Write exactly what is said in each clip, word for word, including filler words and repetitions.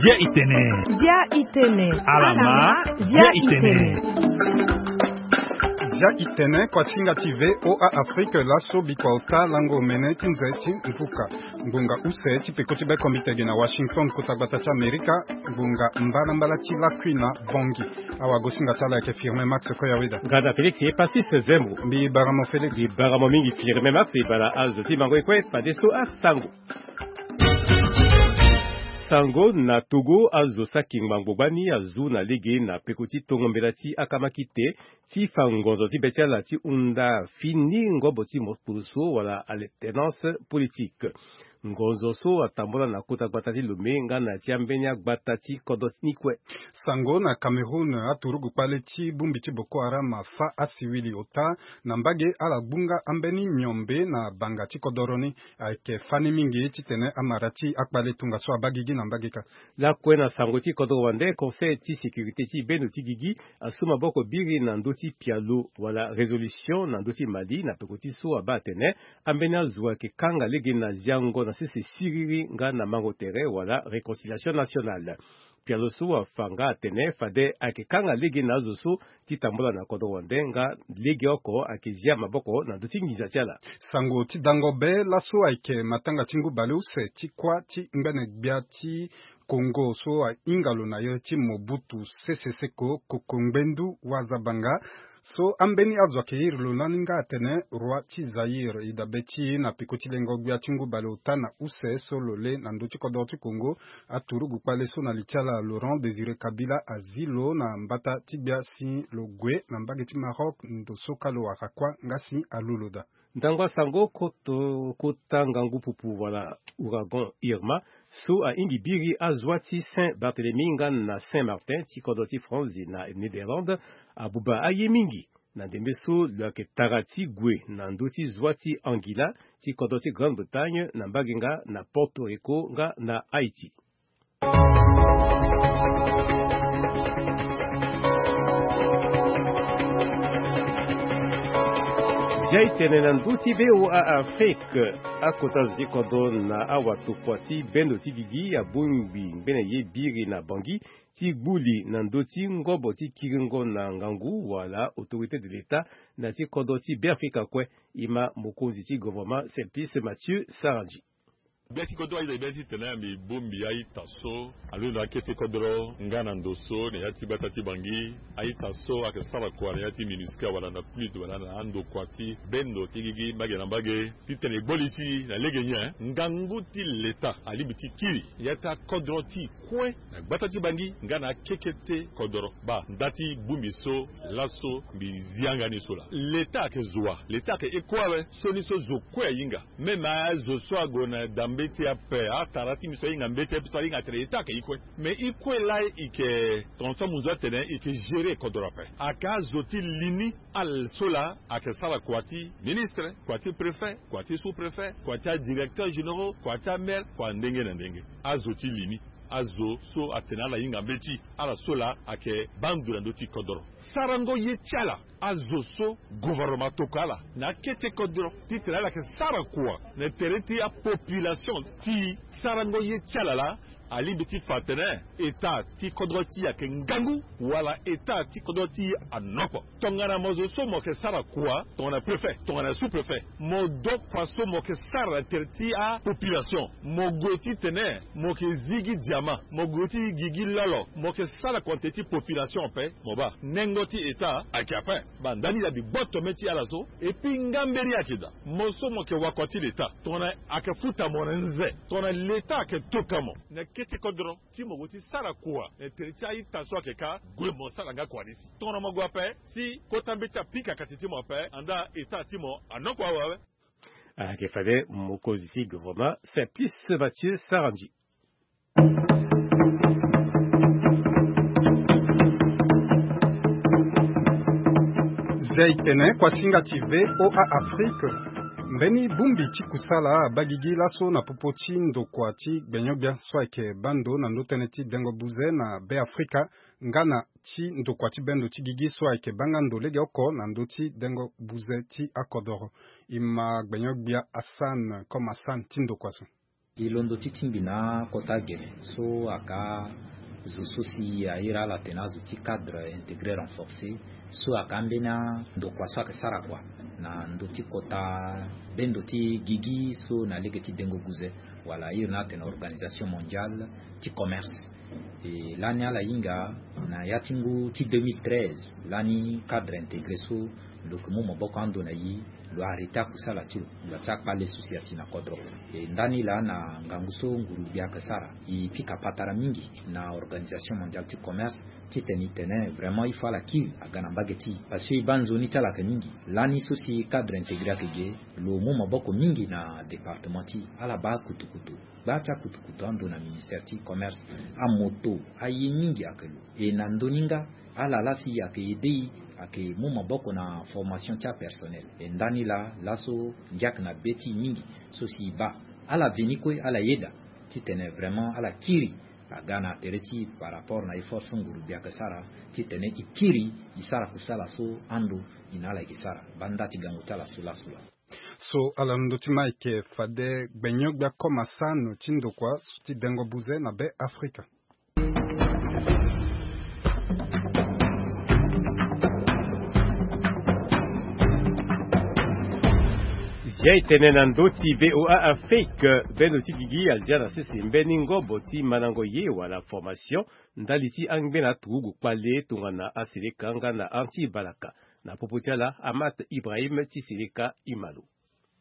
Bia itene. Bia itene. Alama. Bia itene. Bia itene, kuasinga ti V O A Afrique, laso bikua ota lango omene ti nze ti mvuka. Ngonga use ti peko ti be kombite gi na Washington, kota gbata ti Amerika. Ngonga mbalambala ti lakui na Bangui. Awagosinga ti ala ayeke Firmin Max Koyaweda. Ngada Félix Epasis Zembo. Mbi bara mo Félix. Mbi bara mo mingi Firmin Max. E bara azo ti mango e kue, fadeso asango. Sango na Togo, azo saki ngbangbo gbani azu na lege na peko ti tongo mbela ti akamakite ti fa ngonzo ti be ti ala ti hunda fini ngobo ti mokpulusu wala alternance politique. Ngonzo so atambula na kota gbata ti Lomé nga na ti ambeni agbata ti kodro ni kue. Sango na Cameroun, aturugu kpale ti bongbi ti Boko Haram afa asiwili ota na mbage, ala gbunga ambeni miombe na banga ti kodoro ni. Ayeke fani mingi titene amara ti akpale tongaso abaa gigi na mbage kâ. Lakue na sango ti kodoro wande, Conseil ti sécurité ti bendo ti gigi asu maboko biri na ndö ti pialo wala résolution na ndö ti Mali na peko ti so abaa atene ambeni azo ayeke kanga lege na ziango na sese siriri nga na mango tere wala réconciliation nationale. Pialo so afa nga atene fade ayeke kanga lege na azo so ti tambula na kodro wande nga lege oko ayeke zia maboko na ndö ti nginza ti ala. Sango ti dango be laso ayeke matanga ti ngu baleuse ti kuâ ti ngbene gbia ti Congo so ahinga lo na ye ti Mobutu Sese Seko Koko Ngbendu Wazabanga. So ambeni azo ayeke iri lo lani nga atene roi ti Zaïre. E dabe ti e na peko ti lengo gbia ti ngu baleota na use so lo lê na ndö ti kodoro ti Congo, aturugu kpale so na li ti ala Laurent Désiré Kabila azi lo na mbata ti gbia si lo gue na mbage ti Maroc, ndo so kâ lo wara kuâ nga si alu lo daa. Ndangba sango koto, kota ngangu pupu wala ouragan Irma so ahingi biri azwa ti Saint Barthélemy nga na Saint Martin ti kodro ti France na Néderlande abuba aye mingi. Na ndembe so lo yeke tara ti gue na ndö ti zwa ti Anguilla ti kodro ti Grande-Bretagne na mbage nga na Porto Rico nga na Haïti. Zia e tene na ndö ti V O A Afrique, akota zo ti kodro na awatokua ti bendo ti gigi abongbi ngbene ye biri na Bangui ti gbu li na ndö ti ngobo ti kiringo na ngangu wala autorité de l'État na ti kodro ti Beafrika kue. E ma mokonzi ti gouvernement Simplice Mathieu Sarandji. Gbia ti kodro aye na gbia titene mbi bongbi a-ita so alondo akete kodro nga na ndo so na ya ti gbata ti Bangui. A-ita so ayeke sara kua na ya ti MINUSCA wala na PNUD wala na andokua ti bendo ti gigi mbage na mbage titene e gbo li ti na lege nyen ngangu ti leta alingbi ti kiri ya ti akodro ti kue na gbata ti Bangui nga na akekete kodro. Baa nda ti bongbi so laso mbi zi yanga ni so laa. Leta ayeke zo wa? Leta ayeke e kue awe. Sioni so zo kue ahinga. Même azo so ague na da mbeti ape, atara ti mbi so ahinga mbeti ape so ahinga atene leta ayeke e kue. Mais e kue laa e yeke tongaso amunzu atene e yeke gérer kodro ape. Ayeke azo ti li ni. Ala so laa ayeke sara kua ti ministre, kua ti préfet, kua ti sous-préfet, kua ti adirecteur généraux, kua ti amaire, kua ndenge na ndenge. Azo ti li ni. Azo so atene ala hinga mbeti, ala so laa ayeke baa ndo na ndö ti kodro. Sarango ye ti ala, azo so gouvernement atokua ala na akete kodro titene ala yeke sara kua na tere ti apopulation ti e. Sarango ye ti ala laa alingbi ti fa atene état ti kodro ti e ayeke ngangu wala état ti kodro ti e anokpo. Tongana mo zo so mo yeke sara kua tongana préfet, tongana sous-préfet, mo do kua so mo yeke sara na tere ti apopulation. Mo gue titene mo yeke zi gi diama, mo gue ti gi gi lolo, mo yeke sara kua na tere ti population ape, mo baa nengo ti état ayeke ape. Baa ndani laa mbi gboto mê ti ala so. Et puis nga mbeni ayeke daa, mo so mo yeke wakua ti leta, tongana ayeke futa mo na nze, tongana leta ayeke toka mo na kete kodro ti mo gue ti sara kua na tere ti a-ita so ayeke kâ, gue mo sara nga kua ni si. Tongana mo gue ape si kota mbeti apika kati ti mo ape, andaa état ti mo anokua awe awe. Ayeke fade mokonzi ti gouvernement Simplice Mathieu Sarandji. Zia e tene kuasinga ti V O A Afrique. Mbeni bongbi ti kusala abaa gigi laso na popo ti ndokua ti gbenyo-gbia so ayeke baa ndo na ndö tënë ti dengo buze na Be Afrika, nga na ti ndokua ti bendo ti gigi so ayeke baa nga ndo legeoko na ndö ti dengo buze ti akodoro. E ma gbenyo-gbia Hassan Comme Hassan ti ndokua so. E londo ti tingbi na akota gere so ayeke azo so si a iri ala atene azo ti cadre intégré renforcé, so ayeke ambeni andokua so ayeke sara kua na ndö ti kota bendo ti gigi so na lege ti dengo buze, wala a iri ni atene Organisation Mondiale ti Commerce. E lani ala hinga na ya ti ngu ti deux mille treize, lani cadre intégré so lo yeke mu maboko ando na e, lo arrêté akusala ti lo, ngba ti akpale so si asi na kodro. E ndani laa na ngangu so nguru-gbia ayeke sara, e pika patara mingi na Organisation Mondiale ti Commerce, titene e tene vraiment il faut ala kiri aga na mbage ti e, parce que e baa nzoni ti ala ayeke mingi. Lani so si cadre intégré ayeke ge, lo mu maboko mingi na département ti e, ala baa akutukutu, gba ti akutukutu ando na ministère ti commerce, amoto, aye mingi ayeke lo. E na ndö ni nga, ala laa si e ayeke aidé e, ayeke mu maboko na formation ti apersonnel. E ndani laa, laso ngia ayeke na be ti e mingi so si e baa. Ala veni kue, ala yeda titene vraiment ala kiri aga na tere ti e par rapport na effort so nguru-gbia ayeke sara, titene e kiri e sara kusala so ando e na ala e yeke sara. Baa nda ti gango ti ala so laso laa. So ala londo ti ma ayeke fade gbenyo-gbia Comme Hassan ti ndokua ti dengo buze na Be Afrika. Zia e tene na ndö ti V O A Afrique, bendo ti gigi aldia na sese mbeni ngobo ti mandango ye wala formation ndali ti angbena turugu kpale tongana aseleka nga na anti balaka. Na popo ti ala, Amat Ibrahim ti seleka e ma lo.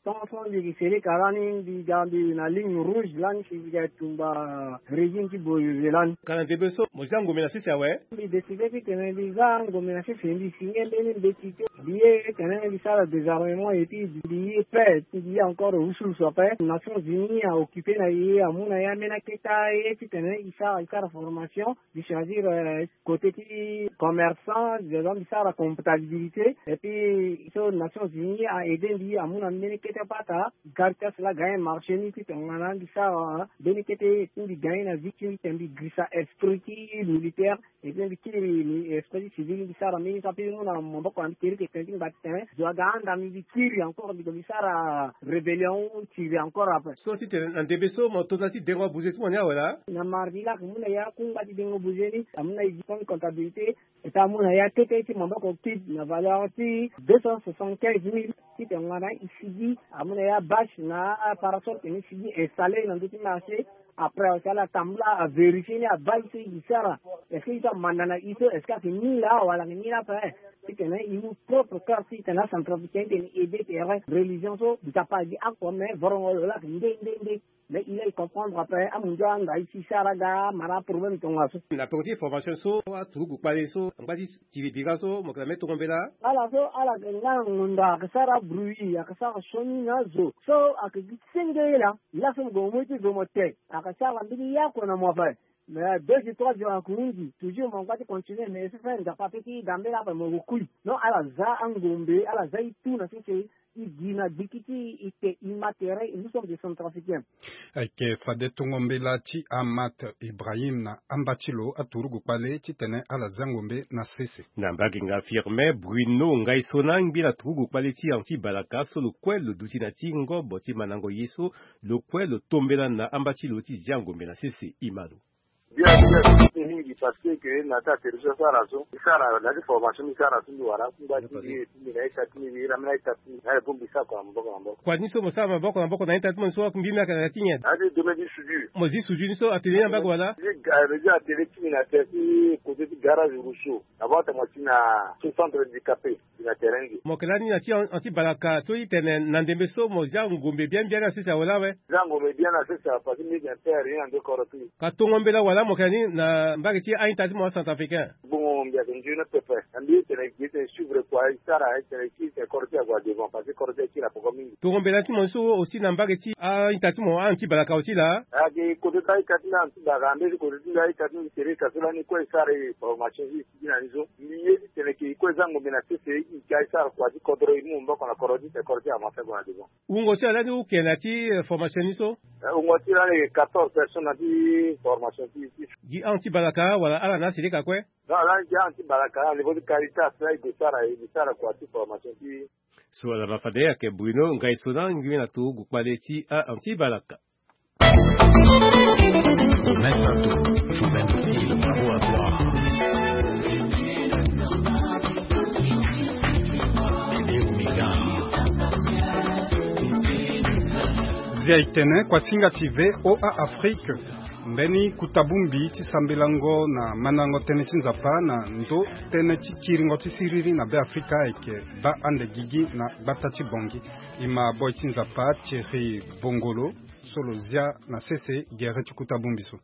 Tant so mbi yeke seleka lani, mbi ga mbi na ligne rouge lani, si mbi ga tumba régime ti boyeze lani. Ka na ndembe so mo zia ngombe na sese awe? Mbi décidé titene mbi zia ngombe na sese, mbi signé mbeni mbeti ti mbi ye titene mbi sara désarmement et puis mbi ye paix, mbi ye encore wusuwusu après. Nations Unies a occupé na e, amu na e ambeni aketa ye titene e sara, e sara formation. Mbi choisir, euh, côté ti commerçant, déjà mbi sara comptabilité, et puis so Nations Unies a aidé mbi, amu na mbeni kete pata, Caritas la gagné marché ni ti tongana mbi sara mbeni kete ti mbi gagné na vie ti mbi, ti mbi girisa esprit ti militaire, et puis mbi kiri esprit ti civil, mbi sara mbeni so ape mbi mu na maboko na mbi kiri ke tene ti mbi bati tene zo aga anda mbi, mbi kiri encore, mbi, mbi sara rébellion, tiri encore après. So titene na ndembe so mo to na ti dengo abuze ti mo ni awe laa? Na mardi la, amu na ya kungba ti dengo buze ni, amu na e diplôme comptabilité, et amu na ya kete ti maboko kit na valeur ti deux cent soixante-quinze mille, ti tongana e sigi, amu na ya bâche na parasol tene e sigi installé na ndö ti marché. Après aussi ala tambula a vérifier ni, abaa e so e sara, est-ce que e so amanda na e so, est-ce que ayeke ni laa wala ayeke ni laa ape? Titene e mu propre corps titene acentrafricain titene e aidé tere religion so, Nzapa agi akua, mais vorongo lo laa ayeke nde nde nde. Mais il a comprendre après, amundu anga e ti sara ga mara problème tongaso. Na peko ti formation so aturugu kpale so angba ti tiri bira so mo yeke na mbeni tongo mbela? Ala so ala yeke nga na ngonda, ayeke sara bruit, ayeke sara sioni na zo. So ayeke gi senge laa. Laso mo gue mo mu ye ti zo mo te. Ayeke sara mbeni yako na mo ape. Mais deux jours, trois jours ayeke hunzi. Toujours mo ngba ti continuer, mais e so fait Nzapa ape ti ga mbela ape mo gue kui. Non, ala za angombe, ala za e tout na sese. E gi na gbiki ti e te, e ma tere, et nous sommes des centrafricains. Ayeke fade tongo mbela ti Amat Ibrahim na amba ti lo aturugu kpale titene ala za ngombe na sese. Na mbage nga Firmin Bruno Ngaisona, ngbi na turugu kpale ti anti balaka so lo kue lo duti na ti ngobo ti mandango ye so, lo kue lo tombela na amba ti lo ti zia ngombe na sese. E ma lo. Bien, bien, bien, mingi, parce que na ti aterrissage so ala so, e sara na ti formation, e sara ti mbi wala kungba ti mbi, ti mbi na ita ti mbi, mbi ira mbi na ita ti mbi na le bongbi sara kua na maboko na maboko. Kua ni so mo sara maboko na maboko na ita ti mo ni so, mbi mbi ayeke na ya ti nyen? Na ya ti domaine ti soudure. Mo zi soudure ni so atelier ni na mbage wala? Zi ga-, zi atelier ti mbi na tere ti côté ti garage Rousseau, na bata mo ti na so centre handicapé. Ti na terrain nge. Mo yeke lani na ti an-, anti balaka so e tene na ndembe so mo zia ngombe biani biani na sese awe laa awe? Zia ngombe biani na sese awe, parce que mbi yeke na terre rien na ndo koro ti. Ka tongo mbela wala mo yeke ni na mbage ti a-ita ti mo acentrafricain? Gbongo mbi ayeke nzoni pepe. Na mbi e tene gi e tene suivre kua e sara e tene e kiri tene koro ti ague na devant, parce que koro ti akiri na poko mingi. Tongo mbela ti mo so aussi na mbage ti a-ita ti mo anti balaka aussi laa? Ayeke côté ti a-ita ti mbi anti balaka, na mbeni côté ti mbi a-ita ti mbi tere ka so lani kue e sara e formation ti e. Gi na ni so, mbi ye ti tene ke e kue za ngombe na sese, Ti ga e sara kua ti kodro e mu maboko na kodro ti e, kodro ti e avancer go na devant. Wungo ti ala ni hu ke na ti, eh, formation ni so? Eh, wungo ti ala ni quatorze personnes na ti formation ti, ti. Gi ahon ti balaka wala ala na asilika kue? Non, ala ni gi ahon ti balaka na niveau ti Caritas la e gue sara, e gue sara kua ti formation ti. So ala ma fade ayeke Bruno Ngaisona ngbene na tongo kpale ti ahon ti balaka. Même partout, faut même style, bravo à toi. Bébé Omega. Zia e tene kuasinga ti V O A Afrique. Mbeni kota bongbi ti sambelango na mandango tënë ti Nzapa na ndo tënë ti kiringo ti siriri na Beafrika ayeke baa ande gigi na gbata ti Bangui. E ma boy ti Nzapa Thierry Bongolo so lo zia na sese gere ti kota bongbi so.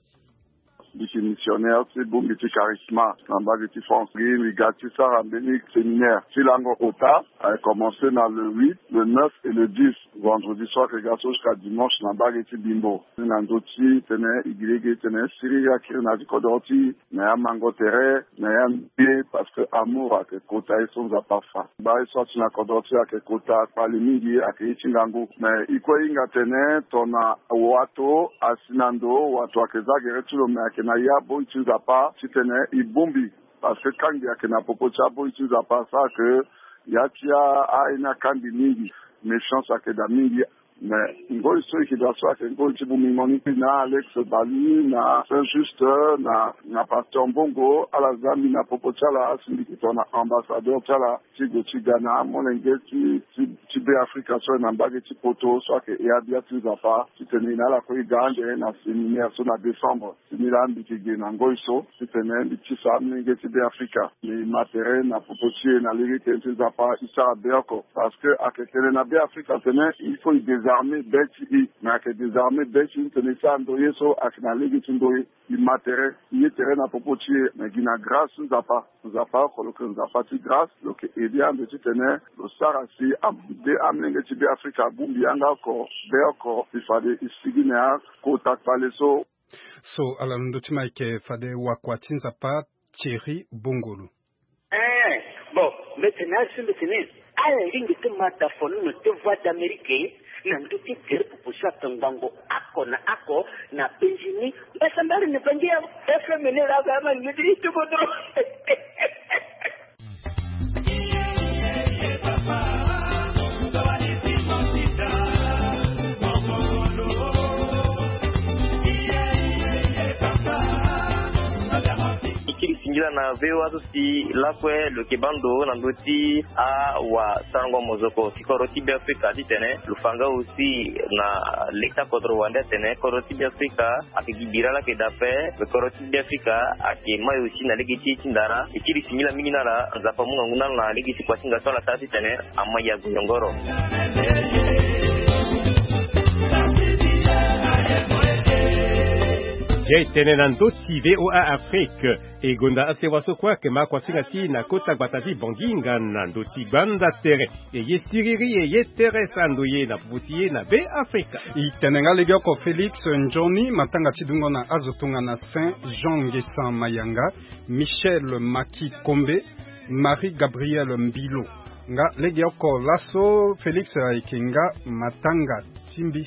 Mbi yeke missionnaire ti bongbi ti Charisma na mbage ti France. Mbi ga ti sara mbeni séminaire ti lango kota. Ayeke commencer na le huit, le neuf et le dix. Vendredi so ayeke ga so jusqu'à dimanche na mbage ti Bimbo. Na ndö ti tene e gi lege titene siriri akiri na ya ti kodro ti e, na ya mango tere, na ya mbi, parce que amour ayeke kota ye so Nzapa afa. Baa ye so ati na kodro ti e ayeke kota kpale mingi, ayeke ye ti ngangu. Mais e kue e hinga tene tongana wato asi na ndo, wato ayeke za gere ti lo, mais ayeke na ya boi ti Nzapa titene e bongbi. Parce que kangbi ayeke na popo ti aboi ti Nzapa, asara ke ya ti a, a ye ni akangbi mingi. Méchance ayeke daa mingi. Mais ngoi so e yeke daa so ayeke ngoi ti bongbi mo ni, na Alex Balu, na Saint Juste, na, na Pasteur Mbongo, ala za mbi na popo ti ala, asi mbi yeke tongana ambassadeur ti ala ti gue ti ga na amolenge ti, ti, ti Beafrika so ayeke na mbage ti poto so ayeke e abia ti Nzapa, titene e na ala kue e ga ande na séminaire so na décembre. Titene laa mbi yeke ge na ngoi so titene mbi tisa amolenge ti Beafrika. Mbi ma tere na popo ti e na lege ti tene ti Nzapa e sara be oko. Parce que ayeke tene na Beafrika tene il faut e désarmer be ti e. Mais ayeke désarmer be ti e titene e sara ndoye so ayeke na lege ti ndoye. E ma tere, e ye tere na popo ti e, me gi na grâce ti Nzapa. Nzapa oko lo yeke Nzapa ti grâce, lo yeke aider ande titene lo sara si ande amolenge ti Beafrika abongbi yanga oko, be oko, si fade e sigi na ya kota kpale so. So ala na ndö ti ma ayeke fade wakua ti Nzapa Thierry Bongolo. Eh, bon, mbi tene asi mbi tene ala lingbi ti ma da fonono ti Voix d'Amérique na ndö ti tere popo so ayeke ngbongo oko na oko na Benjini. Mbasambala na Bangi ya F M ni la ga ma ni ti kodro. E kiri singila na V O A so si lakue lo yeke baa ndo na ndö ti awasarango mozoko ti kodro ti Beafrika titene lo fa nga aussi na leta kodro wande atene kodro ti Beafrika ayeke gi bira laa ayeke daa ape, me kodro ti Beafrika ayeke mai aussi na lege ti e ti ndara. E kiri singila mingi na ala, Nzapa amu ngangu na ala na lege ti kua ti nga so ala sara titene ama ya goyongoro. Ye e tene na ndö ti V O A Afrique. E gonda asewa so kue ayeke ma kuasinga ti e na kota gbata ti Bangui nga na ndö ti gbanda tere. E ye siriri, e ye tere sara ndoye na popo ti e na Beafrika. E tene nga legeoko Félix Nzoni, matanga ti dungo na azo tongana Saint Jean Ngesan Mayanga, Michel Maki Kombe, Marie Gabrielle Mbilo. Nga legeoko laso Félix ayeke nga matanga ti mbi.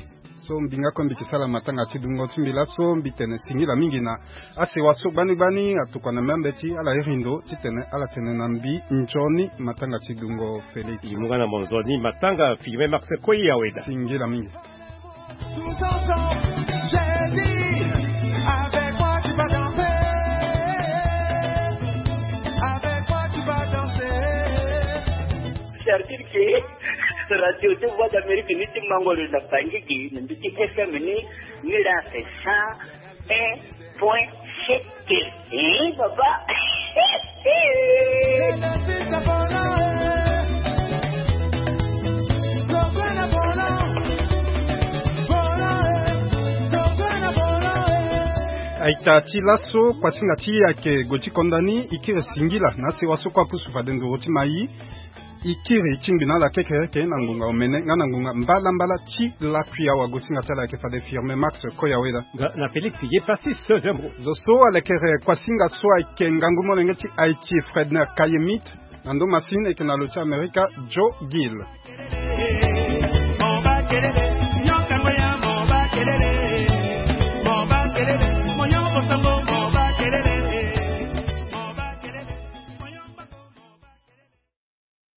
So mbi nga kue mbi yeke sara matanga ti dungo ti mbi laso, mbi tene singila mingi na asewa so gbani gbani atokua na mbi ambeti ala iri ndo titene ala tene na mbi nzoni matanga ti dungo Félix. E mu nga na mo nzoni matanga Firmin Max Koyaweda. Singila mingi. Tous ensemble, j'ai dit, avec moi tu vas danser. Avec moi tu vas danser. C'est-à-dire que Radio ti Voix d'Amérique ni ti mango lo na Bangui, na ndö ti F M ni, ni la c'est cent un point sept. Eh, papa. Aita ti laso, kuasinga ti e ayeke gue ti konda ni, e kiri singila na asewa so kue apusu fade nduru ti mai. E kiri tingbi na ala kekereke na ngonga omene nga na ngonga mbalambala ti lakui awagosinga ti ala ayeke fade Firmin Max Koyaweda. Nga na Félix Yepassis Zembo. Zo so alekere kuasinga so ayeke ngangu molenge ti Haïti Fredner Kayemit. Na ndo masine eke na lo ti amerika, joe gill.